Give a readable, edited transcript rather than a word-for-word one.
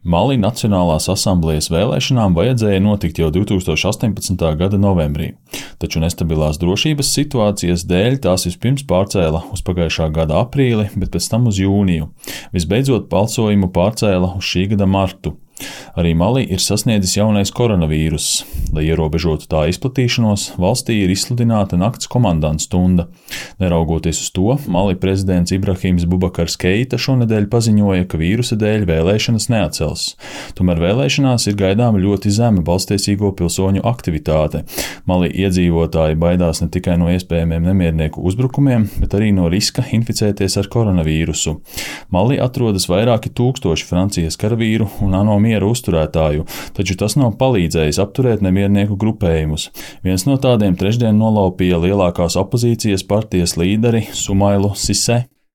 Mali Nacionālās asamblejas vēlēšanām vajadzēja notikt jau 2018. gada novembrī, taču nestabilās drošības situācijas dēļ tās vispirms pārcēla uz pagājušā gada aprīli, bet pēc tam uz jūniju. Visbeidzot, balsojumu pārcēla uz šī gada martu. Arī Mali ir sasniedzis jaunais koronavīruss. Lai ierobežotu tā izplatīšanos, valstī ir izsludināta nakts komandanta stunda. Neraugoties uz to, Mali prezidents Ibrahims Bubakars Keita šonedēļ paziņoja, ka vīrusa dēļ vēlēšanas neatcels. Tomēr vēlēšanās ir gaidāma ļoti zema balstiesīgo pilsoņu aktivitāte. Mali iedzīvotāji baidās ne tikai no iespējamiem nemiernieku uzbrukumiem, bet arī no riska inficēties ar koronavīrusu. Mali atrodas vairāki tūkstoši Francijas karavīru un ANO miera uzturētāju, taču tas nav palīdzējis apturēt nemiernieku grupējumus. Viens no tādiem trešdien nolaupīja lielākās opozīcijas partijas līderi Sumailu Sise.